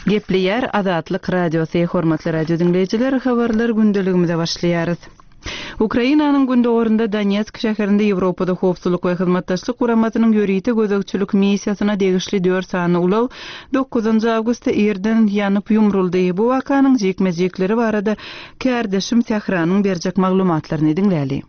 Gepleýär Azatlyk Radiosy, Hormatly radio diňleýjiler, habarlar gündeligimize başlaýarys. Ukrainanyň gündogarynda Donetsk şäherinde Ýewropada Howpsuzlyk we Hyzmatdaşlyk Guramasynyň ýörite gözegçilik missiýasyna degişli dört sany ulag dokuzynjy awgustda irden ýanyp ýumruldy. Bu wakanyň jikme-jikleri barada kärdeşim Sähranyň berjek maglumatlaryny diňläli.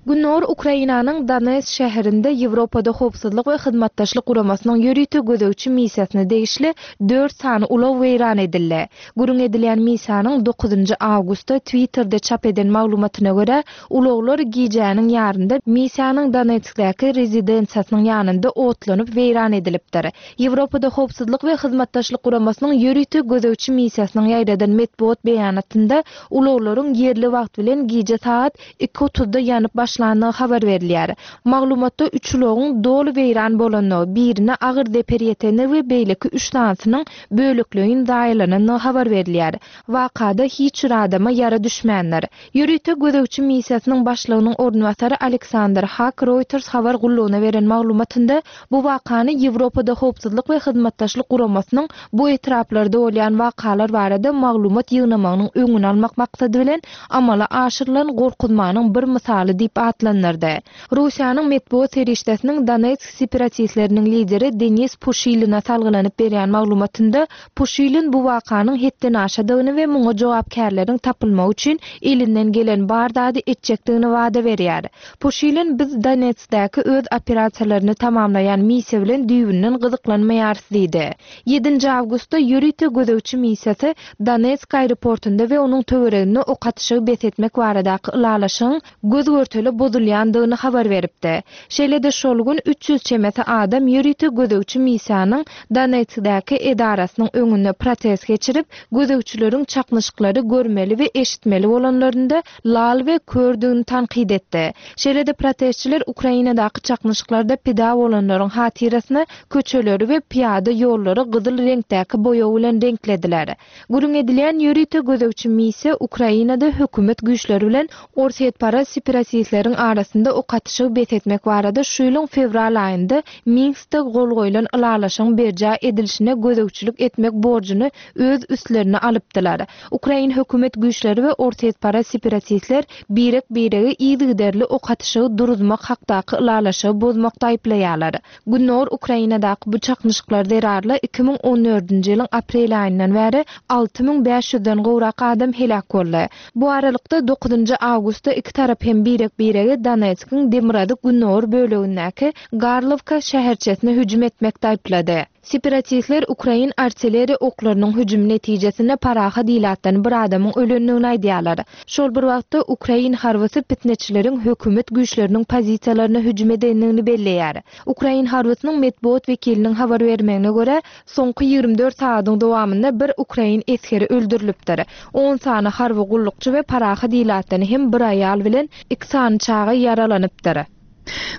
Gündogar Ukrainanyň Donetsk şäherinde Ýewropada Howpsuzlyk we Hyzmatdaşlyk Guramasynyň ýörite gözegçi missiýasyna degişli dört sany ulag weýran edildi. Gürrüň edilýän missiýanyň dokuzynjy awgustda Twitterde çap eden maglumatyna görä, ulaglar gijäniň ýarynda missiýanyň Donetskdäki rezidensiýasynyň ýanynda otlanyp weýran edilipdir. Ýewropada Howpsuzlyk we Hyzmatdaşlyk Guramasynyň ýörite gözegçi missiýasynyň ýaýradan metbugat beýanatynda ulaglaryň ýerli wagt bilen gije sagat iki otuzda ýanyp başlandygy habar berilýär. Maglumatda üç ulagyň doly weýran bolandygy, birine agyr zeper ýetendigi we beýleki üç sanysynyň bölekleýin zaýalanandygy habar berilýär. Wakada hiç bir adama ýara düşmändir. Ýörite gözegçi missiýasynyň başlygynyň orunbasary Aleksandr Hak Reuters habar gullugyna beren maglumatynda bu wakany Ýewropada Howpsuzlyk we Hyzmatdaşlyk Guramasynyň bu etraplarda bolýan wakalar barada maglumat ýygnamagynyň öňüni almak maksady bilen amala aşyrylan gorkuzmanyň bir mysaly diýip atlandyrdy. Russiýanyň metbugat serişdesiniň Donetsk separatistleriniň lideri Denis Puşiline salgylanyp berýän maglumatynda, Puşilin bu wakanyň hetdenaşadygyny we muňa jogapkärleriň tapylmagy üçin elinden gelen bar zady etjekdigini wada berýär. Puşilin biz Donetskdäki öz operasiýalaryny tamamlaýan missiýa bilen düýbünden gyzyklanmaýarys diýdi. Ýedinji awgustda ýörite gözegçi missiýasy Donetsk aeroportunda we onuň töwereginde ok atyşygy bes etmek baradaky ylalaşygyň göz-görtele bozulýandygyny habar beripdi. Şeýle-de şol gün 300 çemesi adam ýörite gözegçi missiýanyň Donetskdäki edarasynyň öňünde protest geçirip, gözegçileriň çaknyşyklary görmeli we eşitmeli bolanlarynda lal we kördügini tankyt etdi. Şeýle-de protestçiler Ukrainadaky çaknyşyklarda pida bolanlaryň hatyrasyna köçeleri we pyýada ýollary gyzyl reňkdäki boýag bilen reňklediler. Gürrüň edilýän ýörite gözegçi missiýa Ukrainada hökümet güýçleri bilen orsýetparaz separatistleriň arasynda ok atyşygy bes etmek barada şu ýylyň fewral aýynda Minskde gol goýlan ylalaşygyň berjaý edilişine gözegçilik etmek borjuny öz üstlerine alypdylar. Ukrain hökümet güýçleri we orsýetparaz separatistler birek-biregi yzygiderli ok atyşygy duruzmak hakdaky ylalaşygy bozmakda aýyplaýarlar. Gündogar Ukrainadaky bu çaknyşyklar zerarly 2014-nji ýylyň aprel aýyndan bäri 6500 den gowrak adam heläk boldy. Bu aralykda, dokuzynjy awgustda iki tarap hem birek-biregi Donetskiň demirgazyk-gündogar bölegindäki Garlowka şäherçesine hüjüm etmekde aýyplady. Separatistler ukrain artilleriýa oklarynyň hüjümi netijesinde parahat ilatdan bir adamyň ölendigini aýdýarlar. Şol bir wagtda, ukrain harbysy pitneçileriň hökümet güýçleriniň pozisiýalaryna hüjüm edendigini belleýär. Ukrain harbysynyň metbugat wekiliniň habar bermegine görä, soňky 24 sagadyň dowamynda bir ukrain esgeri öldürilipdir. On sany harby gullukçy we parahat ilatdan hem bir aýal bilen iki sany çaga ýaralanypdyr.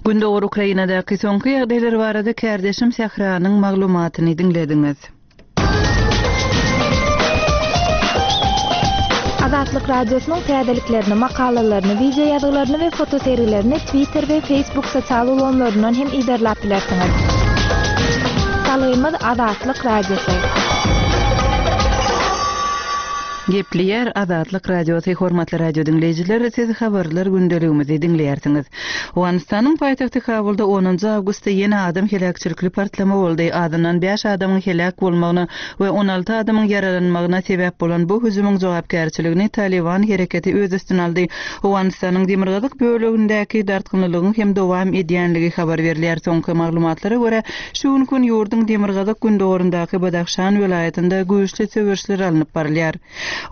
Gündogar Ukrainadaky soňky ýagdaýlar barada kärdeşim Sähranyň maglumatyny diňlediňiz. Azatlyk Radiosynyň täzeliklerini, makalalaryny, wideo ýazgylaryny we fotosergilerini Twitter we Facebook sosial ulgamlaryndan hem yzarlap bilersiňiz. Salgymyz Azatlyk Radiosy. Gepleýär Azatlyk Radiosy Hormatly radio diňleýjiler, siz habarlar gündeligimizi diňleýärsiňiz. Owganystanyň paýtagty Kabulda onunjy awgustda ýene adam heläkçilikli partlama boldy. Azyndan bäş adamyň heläk bolmagyna we 16 adamyň ýaralanmagyna sebäp bolan bu hüjümiň jogapkärçiligini Talyban hereketi öz üstüne aldy. Owganystanyň demirgazyk bölegindäki dartgynlylygyň hem dowam edýänligi habar berilýär. Soňky maglumatlara görä, Şu günki gün ýurduň demirgazyk-gündogaryndaky Badahşan welaýatynda güýçli söweşler alnyp barylýar.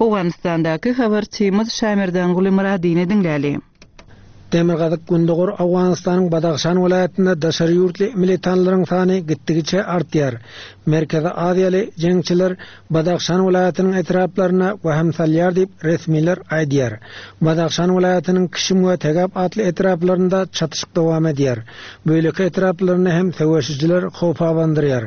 Owganystandaky habarçymyz Şamerdanguly Myradyny diňläli. Demirgazyk-gündogar Owganystanyň Badahşan welaýatynda daşary ýurtly militanlaryň sany gitdigiçe artýar. Merkezi Aziýaly jeňçiler Badahşan welaýatynyň etraplaryna wehim salýar diýip, resmiler aýdýar. Badahşan welaýatynyň Kişim we Tegap atly etraplarynda çatyşyk dowam edýär. Beýleki etraplarynda hem söweşijiler howp abandyrýar.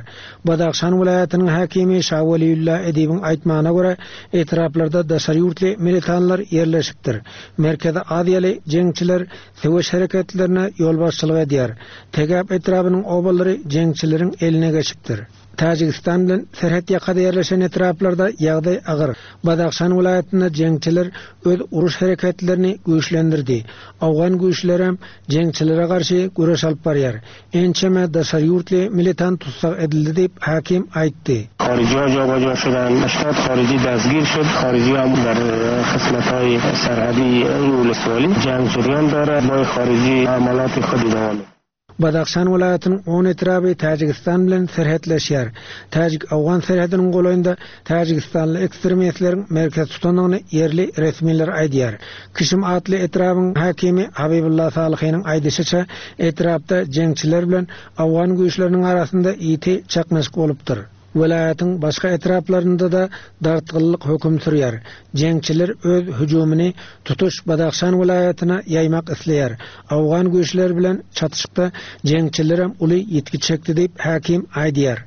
Badahşan welaýatynyň häkimi Şaweliulla Edibiň aýtmagyna görä, etraplarda daşary ýurtly militanlar ýerleşipdir. Merkezi Aziýaly jeňçiler söweş hereketlerine ýolbaşçylyk edýär. Tegap etrabynyň obalary jeňçileriň eline geçipdir. Täjigistan bilen serhet ýakada ýerleşen etraplarda ýagdaý agyr. Badahşan welaýatynda jeňçiler öz uruş hereketlerini güýçlendirdi. Owgan güýçlerem jeňçilere garşy göreş alyp barýar. Ençeme daşary ýurtly militant tussag edildi diýip, hakim aýtdy. Haryjyha jaba-ja şudan, 80 haryjy destgir şud, haryjyha der qismethayi serhedi uluswali jang jeriyan dare, boy haryjy amalati xud idama mi. Badahşan welaýatynyň on etraby Täjigistan bilen serhetleşýär. Täjik-owgan serhediniň golaýynda täjigistanly ekstremistleriň merkez tutandygyny ýerli resmiler aýdýar. Kişim atly etrabyň häkimi Habibulla Salyhynyň aýdyşyça, etrapda jeňçiler bilen owgan güýçleriniň arasynda ýiti çaknyşyk bolupdyr. Welaýatyň başga etraplarynda-da dartgynlyk höküm sürýär. Jeňçiler öz hüjümini tutuş Badahşan welaýatyna ýaýmak isleýär. Owgan güýçleri bilen çatyşykda jeňçilerem uly ýitgi çekdi diýip, häkim aýdýar.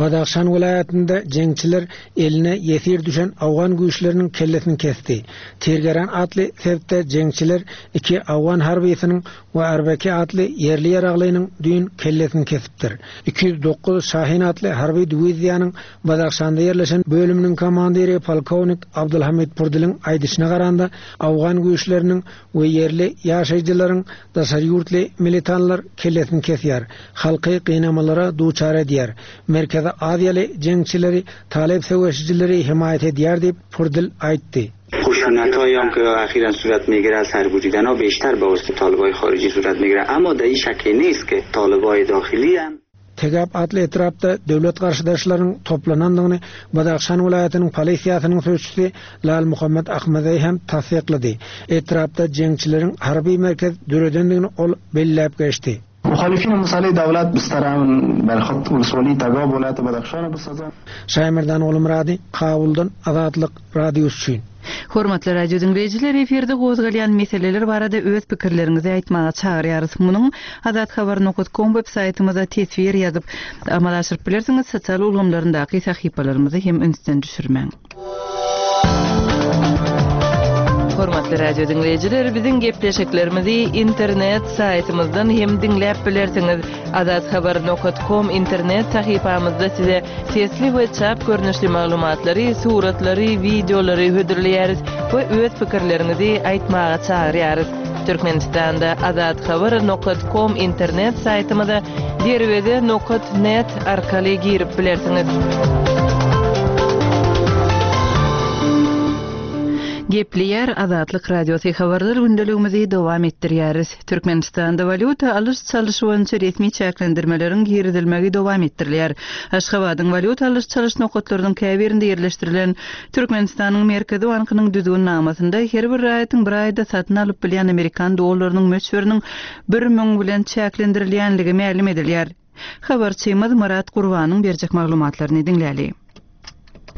Badahşan welaýatynda jeňçiler eline ýesir düşen owgan güýçleriniň kellesini kesdi. Tirgeran atly sebitde jeňçiler iki owgan harbysynyň we Arbeki atly ýerli ýaraglynyň düýn kellesini kesipdir. 209 Şahin atly harby diwiziýanyň Badahşanda ýerleşen bölüminiň komandiri polkownik Abdulhamid Purdiliň aýdyşyna garanda, owgan güýçleriniň we ýerli ýaşaýjylaryň daşary ýurtly militanlar kellesini kesýär, halky gynamalara duçar edýär, Merkezi Aziýaly jeňçileri talyp söweşijileri hemaýat edýär diýip, Purdil aýtdy. Tegap atly etrapda döwlet garşydaşlarynyň toplanandygyny Badahşan welaýatynyň polisiýasynyň sözçüsi Lal Muhammet Ahmedeý hem tassyklady. Etrapda jeňçileriň harby merkez döredendigini ol belläp geçdi. Şaýmerdan Gulmyrady, Kabuldan Azatlyk Radiosy üçin. Hormatly radio diňleýjiler, efirde gozgalýan meseleler barada öz pikirleriňizi aýtmaga çagyrýarys. Munuň Azathabar nokat kom web saýtymyza teswir ýazyp, amala aşyryp bilersiňiz, sosial ulgamlaryndaky sahypalarymyzy hem ünsden düşürmäň. Hormatly radio diňleýjiler, biziň gepleşiklerimizi internet saýtymyzdan hem diňläp bilersiňiz. Azathabar nokat kom internet sahypamyzda size sesli we çap görnüşli maglumatlary, suratlary, wideolary hödürleýäris we öz pikirleriňizi aýtmaga çagyrýarys. Türkmenistanda Azathabar nokat kom internet saýtymyza Derweze nokat net arkaly girip bilersiňiz. Gepleýär Azatlyk Radiosy Habarlar gündeligimizi dowam etdirýäris. Türkmenistanda walýuta alyş-çalyş boýunça resmi çäklendirmeleriň girizilmegi dowam etdirilýär. Aşgabadyň walýuta alyş-çalyş nokatlarynyň käbirinde ýerleşdirilen Türkmenistanyň Merkezi bankynyň düzgünnamasynda her bir raýatyň bir aýda satyn alyp bilýän amerikan dollarynyň möçberiniň 1000 bilen çäklendirilýänligi mälim edilýär. Habarçymyz Myrat Gurbanyň berjek maglumatlaryny diňläli.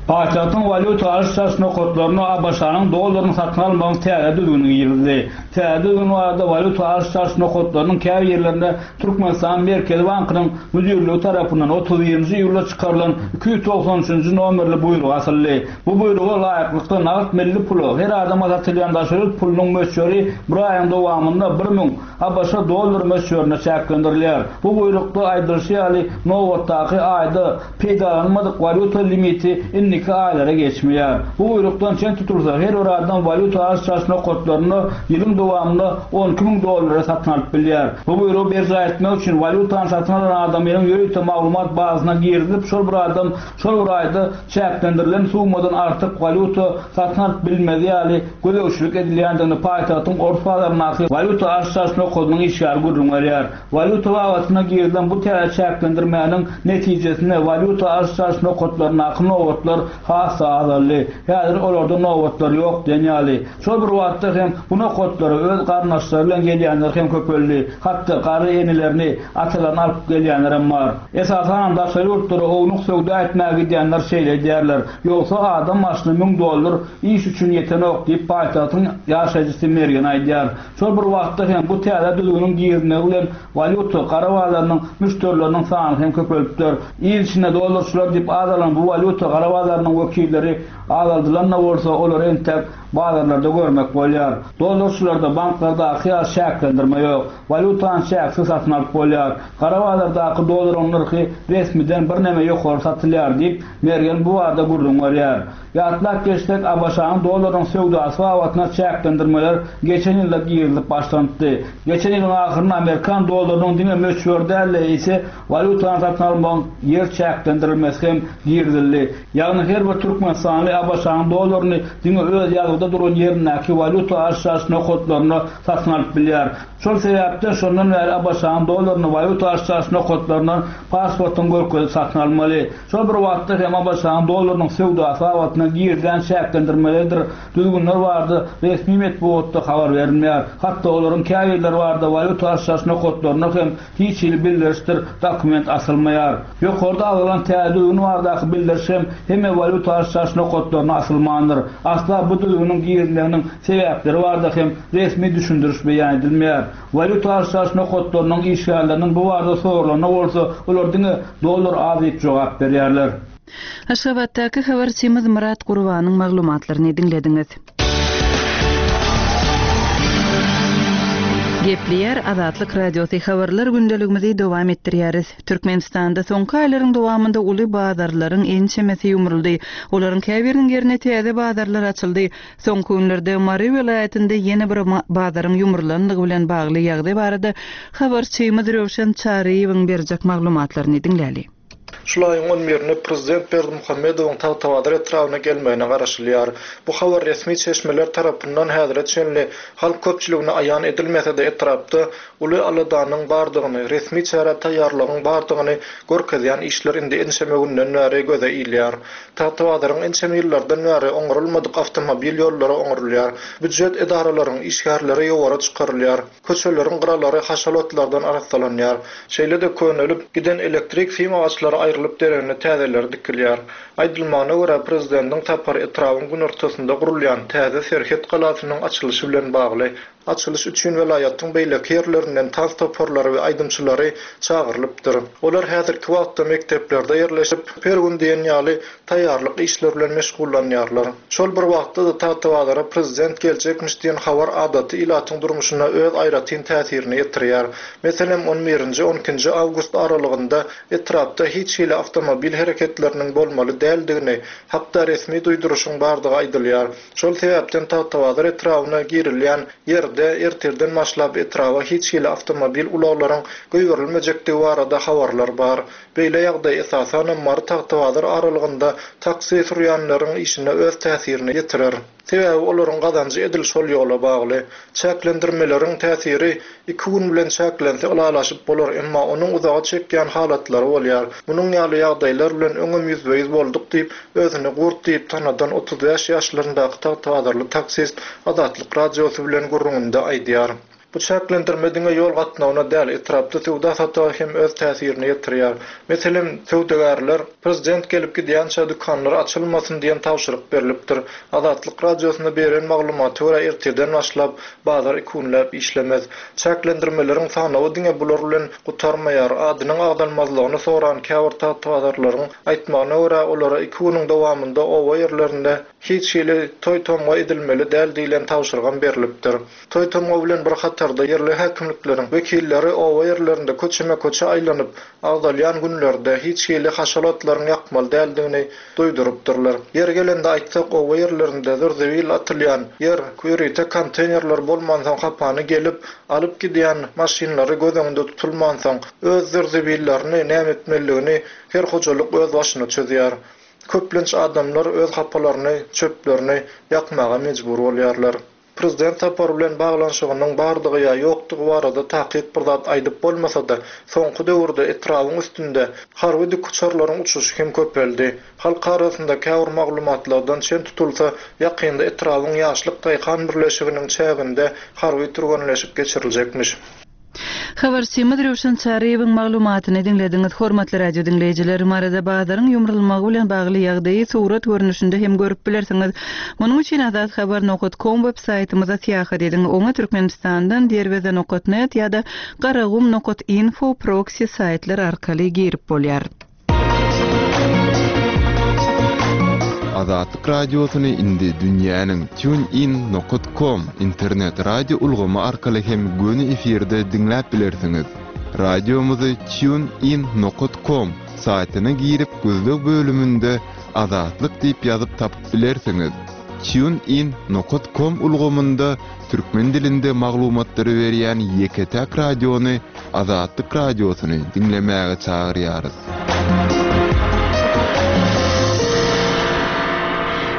Paýtagtyň walýuta alyş-çalyş nokatlarynda ABŞ-nyň dollaryny satyn almagyň täze düzgüni girizildi. Täze düzgün barada walýuta alyş-çalyş nokatlarynyň käbirlerinde Türkmenistanyň Merkezi bankynyň müdirligi tarapyndan 31-nji iýulda çykarylan 293-nji nomerli buýruk asyldy. Bu buýruga laýyklykda, nagt milli pula her adama satylýan daşary ýurt pulunyň möçberi bir aýyň dowamynda 1000 ABŞ dollary möçberinde çäklendirilýär. Bu buýrukda aýdylyşy ýaly, nobatdaky aýda Peýdalanylmadyk walýuta limiti indiki aýlara geçmeýär. Bu buýrukdan çen tutulsa, her bir adam walýuta alyş-çalyş nokatlarynda ýylyň dowamynda 12 müň dollara satyn alyp bilýär. Bu buýrugy berjaý etmek üçin walýutany satyn alan adamynyň ýörite maglumat bazasyna girizilip, şol bir adam şol bir aýda çäklendirilen summadan artyk walýuta satyn alyp bilmezi ýaly gözegçilik edilýändigini paýtagtyň Ors bazaryndaky walýuta alyş-çalyş nokadynyň işgäri gürrüň berýär. Walýuta babatynda girizilen bu täze çäklendirmäniň netijesinde walýuta alyş-çalyş nokatlaryndaky nobatlar has-da azaldy. Häzir olarda nobatlar ýok diýen ýaly. Şol bir wagtda hem bu nokatlara öz garyndaşlary bilen gelýänler hem köpeldi. Hatda garry enelerini, atalaryny alyp gelýänlerem bar. Esasanam daşary ýurtlara ownuk söwda etmäge gidýänler şeýle edýärler. Ýogsa adam başyna müň dollar iş üçin ýetenok diýip, paýtagtyň ýaşaýjysy Mergen aýdýar. Şol bir wagtda hem bu täze düzgüniň girizmegi bilen walýuta gara bazarynyň müşderileriniň sany hem köpelipdir. Il içinde dollarçylar diýip at alan bu walýuta gara bazarynyň. bazarynyň wekilleri azaldylan-da bolsa, olary entek bazarlarda görmek bolýar. Dollarçylarda banklardaky ýaly çäklendirme ýok. Walýutany çäksiz satyn alyp bolýar. Gara bazardaky dollaryň nyrhy resmiden birneme ýokary satylýar diýip, Mergen bu barada gürrüň berýär. Ýatlap geçsek, ABŞ-nyň dollarynyň söwdasy babatynda çäklendirmeler geçen ýylda girizilip başlanypdy. Geçen ýylyň ahyrynda amerikan dollarynyň diňe möçberi däl-de, eýse, walýutany satyn almagyň ýer çäklendirilmesi hem girizildi. Ýagny her bir türkmenistanly ABŞ-nyň dollaryny diňe öz ýazgyda duran ýerindäki walýuta alyş-çalyş nokatlarynda satyn alyp bilýär. Şol sebäpden şondan bäri ABŞ-nyň dollaryny walýuta alyş-çalyş nokatlaryndan pasportyňy görkezip satyn almaly. Şol bir wagtda hem ABŞ-nyň dollarynyň söwdasy babatynda girizilen çäklendirmeleridir düzgünler barada resmi metbugatda habar berilmeýär. Hatda olaryň käbirleri barada walýuta alyş-çalyş nokatlarynda hem hiç hili bildirişdir dokument asylmaýar. Ýokarda agzalan täze düzgün baradaky bildiriş hem hemme walýuta alyş-çalyş nokatlaryna asylmandyr. Asla bu düzgüniň girizilmeginiň sebäpleri barada hem resmi düşündiriş beýan edilmeýär. Walýuta alyş-çalyş nokatlarynyň işgärleriniň bu barada soralanda bolsa, olar diňe dollar az diýip jogap berýärler. Aşgabatdaky habarçymyz Myrat Gurbanyň maglumatlaryny diňlediňiz. Gepleýär Azatlyk Radiosy Habarlar gündeligimizi dowam etdirýäris. Türkmenistanda soňky aýlaryň dowamynda uly bazarlaryň ençemesi ýumruldy. Olaryň käbiriniň ýerine täze bazarlar açyldy. Soňky günlerde Mary welaýatynda ýene bir bazaryň ýumrulandygy bilen bagly ýagdaý barada habarçymyz Röwşen Çaryýewiň berjek maglumatlaryny diňläli. Şul aýyň on birinde prezident Berdimuhamedowyň Tagtabazar etrabyna gelmegine garaşylýar. Bu habar resmi çeşmeler tarapyndan häzire çenli halk köpçüligine aýan edilmese-de etrapda uly aladanyň bardygyny, resmi çärä taýýarlygyň bardygyny görkezýän işler indi ençeme günden bäri göze ilýär. Tagtabazaryň ençeme ýyllardan bäri oňarylmadyk awtomobil ýollary oňarylýar. Býujet edaralaryň işgärleri ýowara çykarylýar. Köçeleriň gyralary haşal otlardan arassalanýar. Şeýle-de könelip giden elektrik sim agaçlary aýrylyp deregine täzeleri dikilýär. Aýdylmagyna görä, prezidentiň sapary etrabyň günortasynda gurulýan täze serhet galasynyň açylyşy bilen bagly. Açylyş üçin welaýatyň beýleki ýerlerinden tans toparlary we aýdymçylary çagyrylypdyr. Olar häzirki wagtda mekdeplerde ýerleşip, her gün diýen ýaly taýýarlyk işleri bilen meşgullanýarlar. Şol bir wagtda-da Tagtabazara prezident geljekmiş diýen habar adaty ilatyň durmuşyna öz aýratyn täsirini ýetirýär. Meselem, on birinji, on ikinji awgust aralygynda etrapda hiç hili awtomobil hereketleriniň bolmaly däldigini hakda resmi duýduryşyň bardygy aýdylýar. Şol sebäpden Tagtabazar etrabyna girilýän ýerde ertirden başlap etraba hiç hili awtomobil ulaglaryň goýberilmejekdigi barada habarlar bar. Beýle ýagdaý esasanam Mary-Tagtabazar aralygynda taksi sürýänleriň işine öz täsirini ýetirer. Sebäbi olaryň gazanjy edil şol ýola bagly. Çäklendirmeleriň täsiri iki gün bilen çäklense ylalaşyp bolar, emma onuň uzaga çekýän halatlary bolýar. Munuň ýaly ýagdaýlar bilen öňem ýüzbe-ýüz bolduk diýip, özüni Gurt diýip tanadan 35 ýaşlaryndaky tagtabazarly taksist Azatlyk Radiosy bilen gürrüňinde aýdýar. Bu çäklendirme diňe ýol gatnawyna däl, etrapda söwda-satyga hem öz täsirini ýetirýär. Meselem, söwdagärler prezident gelip gidýänçä dükanlar açylmasyn diýen tabşyryk berlipdir. Azatlyk Radiosyna beren maglumata görä ertirden başlap bazar iki günläp işlemez. Çäklendirmeleriň sanawy diňe bular bilen gutarmaýar. Adynyň agzalmazlygyny soran käbir tagtabazarlaryň aýtmagyna görä, olara iki günüň dowamynda oba ýerlerinde hiç hili toý-tomga edilmeli däl diýlen tabşyrygam berlipdir. Toý-tomga bilen bir hatarda ýerli häkimlikleriň wekilleri oba ýerlerinde köçeme-köçe aýlanyp, agzalýan günlerde hiç hili haşal otlaryň ýakmaly däldigini duýdurypdyrlar. Ýeri gelende aýtsak, oba ýerlerinde zir-zibil atylýan ýer, ýörite konteýnerler bolmansoň hapany gelip, alyp gidýän maşynlary göz öňünde tutulmansoň, öz zir-zibillerini näme etmelidigini her hojalyk öz başyna çözýär. Köplenç adamlar öz hapalaryny, çöplerini ýakmaga mejbur bolýarlar. Prezident sapary bilen baglanyşygynyň bardygy ýa ýokdugy barada takyk bir zat aýdyp bolmasa-da, soňky döwürde etrabyň üstünde harby dikuçarlaryň uçuşy hem köpeldi. Halk arasynda käbir maglumatlardan çen tutulsa, ýakynda etrabyň Ýaşlyk daýhan birleşiginiň çäginde harby türgenleşik geçiriljekmiş. Habarçymyz Röwşen Çaryýewiň maglumatyny diňlediňiz. Hormatly radio diňleýjiler, Maryda bazaryň ýumrulmagy bilen bagly ýagdaýy surat görnüşinde hem görüp bilersiňiz. Munuň üçin azathabar nokat kom web saýtymyza syýahat ediň. Oňa Türkmenistandan derweze nokat net ýa-da garagum nokat info proksi saýtlar arkaly girip bolýar. Azatlyk Radiosyny indi dünýäniň TuneIn nokat com internet radio ulgamy arkaly hem göni efirde diňläp bilersiňiz. Radiomyzy TuneIn nokat com saýtyna girip gözleg bölüminde Azatlyk diýip ýazyp tapyp bilersiňiz. TuneIn nokat com ulgamynda türkmen dilinde maglumatlary berýän ýeke-täk radiony Azatlyk Radiosyny diňlemäge çagyrýarys.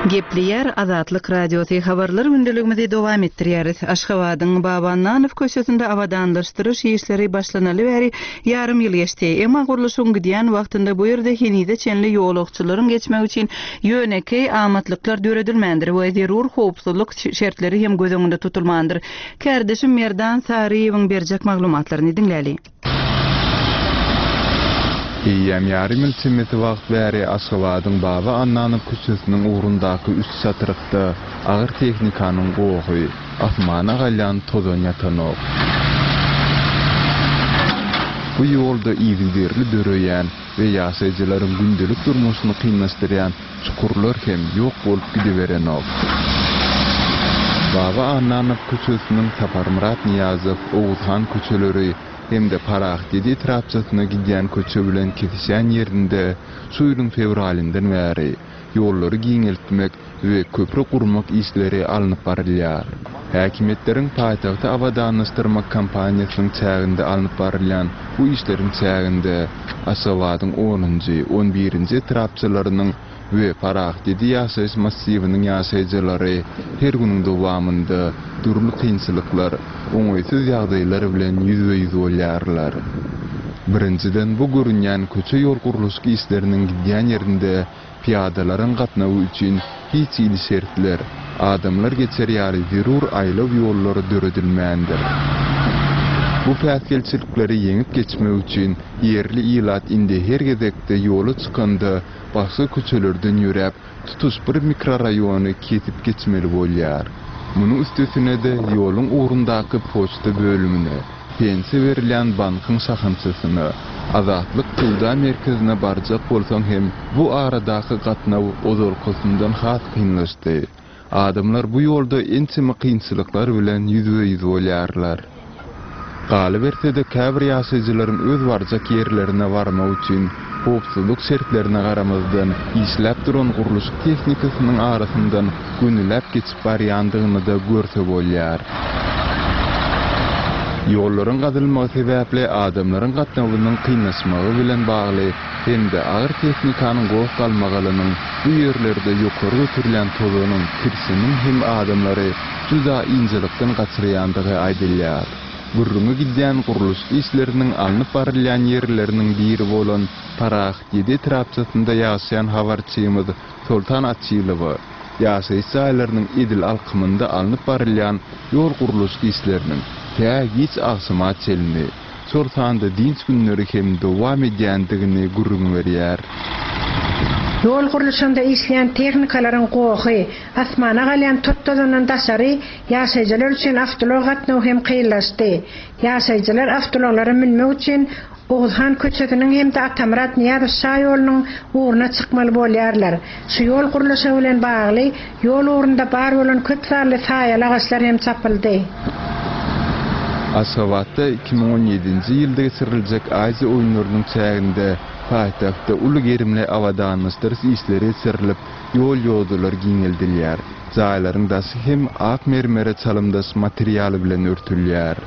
Gepleýär Azatlyk Radiosy Habarlar gündeligimizi dowam etdirýäris. Aşgabadyň Baba Annanow köçesinde abadanlaşdyryş işleri başlanaly bäri ýarym ýyl geçdi. Emma gurluşygyň gidýän wagtynda bu ýerde henize çenli ýolagçylaryň geçmegi üçin ýönekeý amatlyklar döredilmändir we zerur howpsuzlyk şertleri hem göz öňünde tutulmandyr. Kärdeşim Merdan Saryýewiň berjek maglumatlaryny diňläli. Eýýäm ýarym ýyl çemesi wagt bäri Aşgabadyň Baba Annanow köçesiniň ugrundaky üç çatrykda agyr tehnikanyň gohy, asmana galýan tozan ýatanok. Bu ýolda yzygiderli döreýän we ýaşaýjylaryň gündelik durmuşyny kynlaşdyrýan çukurlar hem ýok bolup gidiberenok. Baba Annanow köçesiniň Saparmyrat Nyýazow, Oguzhan köçeleri hem-de Parahatýedi etrapçasyna gidýän köçe bilen kesişýän ýerinde şu ýylyň fewralyndan bäri ýollary giňeltmek we köpri gurmak işleri alnyp barylýar. Häkimiýetleriň paýtagty abadanlaşdyrmak kampaniýasynyň çäginde alnyp barylýan bu işleriň çäginde Aşgabadyň onunjy, on birinji etrapçalarynyň we Parahatýedi ýaşaýyş massiwiniň ýaşaýjylary her günüň dowamynda dürli kynçylyklar, oňaýsyz ýagdaýlar bilen ýüzbe-ýüz bolýarlar. Birinjiden, bu görünýän köçe-ýol gurluşyk işleriniň gidýän ýerinde Pyýadalaryň gatnawy üçin hiç hili şertler, adamlar geçer ýaly zerur aýlaw ýollary döredilmändir. Bu päsgelçilikleri ýeňip geçmek üçin ýerli ilat indi her gezekde ýola çykanda başga köçelerden ýöräp, tutuş bir mikroraýony kesip geçmeli bolýar. Munuň üstesine-de ýoluň ugrundaky poçta bölümine, Pensiýa berilýän bankyň şahamçasyna, Azatlyk söwda merkezine barjak bolsaň hem bu aradaky gatnaw ozalkysyndan has kynlaşdy. Adamlar bu ýolda ençeme kynçylyklar bilen ýüzbe-ýüz bolýarlar. Galyberse-de käbir ýaşaýjylaryň öz barjak ýerlerine barmak üçin howpsuzlyk şertlerine garamazdan işläp duran gurluşyk tehnikasynyň arasyndan gönüläp geçip barýandygyny-da görse bolýar. Ýollaryň gazylmagy sebäpli adamlaryň gatnawynyň kynlaşmagy bilen bagly hem-de agyr tehnikanyň goh-galmagalynyň bu ýerlerde ýokary göterilýän tozanyň, kirşiniň hem adamlary juda ynjalykdan gaçyrýandygy aýdylýar. Gürrüňi gidýän gurluşyk işleriniň alnyp barylýan ýerleriniň biri bolan Parahat ýedi etrapçasynda ýaşaýan habarçymyz Soltan Açylowa ýaşaýyş jaýlarynyň edil alkymynda alnyp barylýan ýol gurluşyk işleriniň tä giç agşama çenli, şol sanda dynç günleri hem dowam edýändigini gürrüň berýär. Ýol gurluşygynda işleýän tehnikalaryň gohy, asmana galýan tot-tozandan daşary, ýaşaýjylar üçin awtoulag gatnawy hem kynlaşdy. Ýaşaýjylar awtoulaglara münmek üçin Oguzhan köçesiniň hem-de Atamyrat Nyýazow şaýolunyň ugruna çykmaly bolýarlar. Şu ýol gurluşygy bilen bagly, ýol ugrunda bar bolan köp sanly saýaly agaçlar hem çapyldy. Aşgabatda 2017-nji ýylda geçiriljek Aziýa oýunlarynyň çäginde paýtagtda uly gerimli abadanlaşdyryş işleri geçirilip, ýol-ýodalar giňeldilýär. Jaýlaryň daşy hem ak mermere çalymdaş material bilen örtülýär.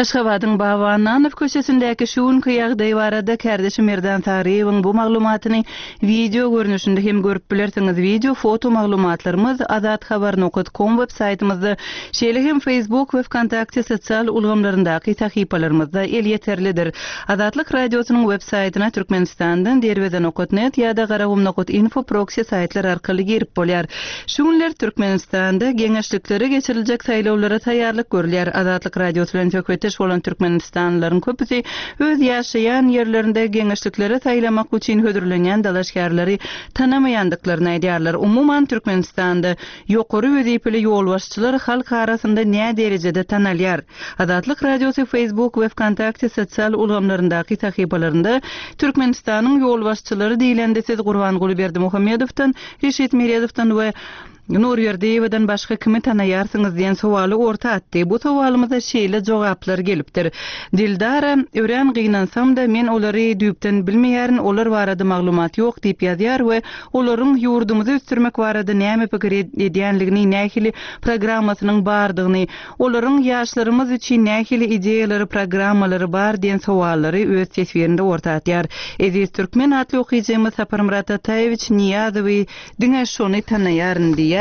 Aşgabadyň Baba Annanow köçesindäki şu günki ýagdaý barada kärdeşim Merdan Saryýewiň bu maglumatyny wideo görnüşinde hem görüp bilersiňiz. Wideo, foto maglumatlarymyz azathabar nokat kom web saýtymyzda, şeýle hem Facebook we Wkontakte sosial ulgamlaryndaky sahypalarymyzda elýeterlidir. Azatlyk Radiosynyň web saýtyna Türkmenistandan Derweze nokat net ýa-da Garagum nokat info proksi saýtlar arkaly girip bolýar. Şu günler Türkmenistanda geňeşliklere geçiriljek saýlawlara taýýarlyk görülýär. Azatlyk Radiosy bilen söhbetdeş. ýaş bolan türkmenistanlylaryň köpüsi öz ýaşaýan ýerlerinde geňeşliklere saýlamak üçin hödürlenýän dalaşgärleri tanamaýandyklaryny aýdýarlar. Umuman, Türkmenistanda ýokary wezipeli ýolbaşçylar halk arasynda näderejede tanalýar? Azatlyk Radiosy Facebook we Wkontakte sosial ulgamlaryndaky sahypalarynda Türkmenistanyň ýolbaşçylary diýlende siz Gurbanguly Berdimuhamedowdan, Reşit Meredowdan we Nurberdiýewadan başga kimi tanaýarsyňyz diýen sowaly orta atdy. Bu sowalymyza şeýle jogaplar gelipdir. Dildara, Örän gynansam-da, men olary düýpden bilmeýärin, olar barada maglumat ýok diýip ýazýar we olaryň ýurdumyzy ösdürmek barada näme pikir edýänligini, nähili programmasynyň bardygyny, olaryň ýaşlarymyz üçin nähili ideýalary, programmalary bar diýen sowallary öz teswirinde orta atýar. Eziz Türkmen atly okyjymyz Saparmyrat Ataýewiç Nyýazowy Diňe şony tanaýaryn diýýär.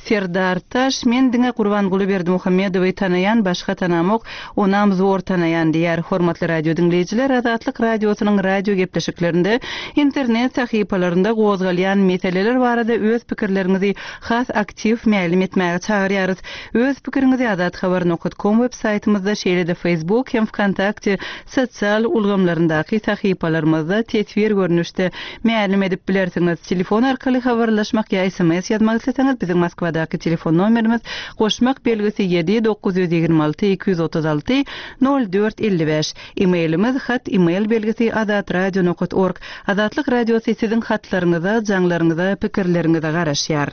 Serdar Taş, Men diňe Gurbanguly Berdimuhamedowy tanaýan, başga tanamok, onam zor tanaýan diýýär. Hormatly radio diňleýjiler, Azatlyk Radiosynyň radio gepleşiklerinde, internet sahypalarynda gozgalýan meseleler barada öz pikirleriňizi has aktiw mälim etmäge çagyrýarys. Öz pikiriňizi azathabar nokat kom web saýtymyzda, şeýle-de Facebook hem Wkontakte sosial ulgamlaryndaky sahypalarymyzda teswir görnüşde mälim edip bilersiňiz. Telefon arkaly habarlaşmak ýa sms ýazmak isleseňiz biziň Moskwadaky telefon nomerimiz goşmak belgisi ýedi 926 236 04 55. E-mailimiz hat email belgisi azatradio nokat org. Azatlyk Radiosy siziň hatlaryňyza, jaňlaryňyza, pikirleriňize garaşýar.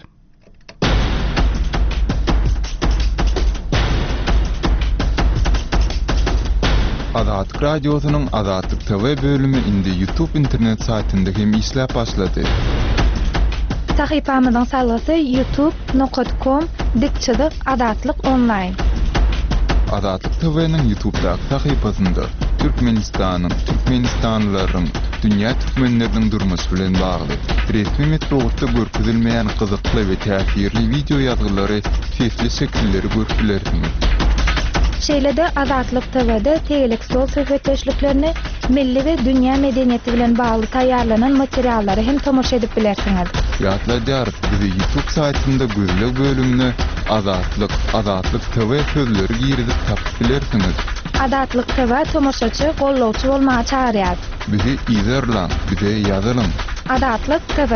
Azatlyk Radiosynyň Azatlyk TV bölümi indi YouTube internet saýtynda hem işläp başlady. Sahypamyzyň salgysy youtube nokat kom dik çyzyk azatlyk onlaýn. Azatlyk TV-niň YouTubedaky sahypasynda Türkmenistanyň, türkmenistanlylaryň, dünýä türkmenleriniň durmuşy bilen bagly, resmi metbugatda görkezilmeýän gyzykly we täsirli wideo ýazgylary, sesli şekilleri görüp bilersiňiz. Şeýle-de Azatlyk TW-de tegelek stol söhbetdeşliklerini, milli we dünýä medeniýeti bilen bagly taýýarlanan materiallara hem tomaşa edip bilersiňiz. Ýatladýarys, bizi YouTube saýtynda gözleg bölümine Azatlyk, Azatlyk TV sözleri girizip tapyp bilersiňiz. Azatlyk TV tomaşaçy, gollawçy bolmaga çagyrýar. Bizi yzarlaň, bize ýazylyň! Azatlyk TV.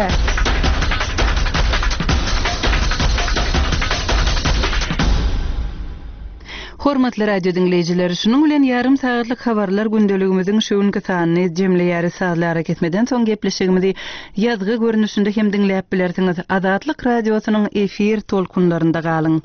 Hormatly radio diňleýjiler, şunuň bilen ýarym sagatlyk habarlar gündeligimiziň şu günki sanyny jemleýäris. Sazly arakesmeden soň gepleşigimizi ýazgy görnüşinde hem diňläp bilersiňiz. Azatlyk Radiosynyň efir tolkunlarynda galyň.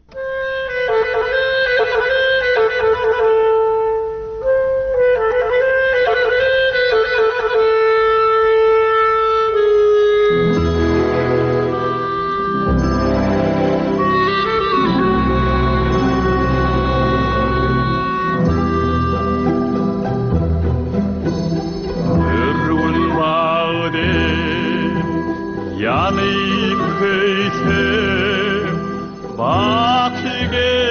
Ýanyp köýsem, Baky.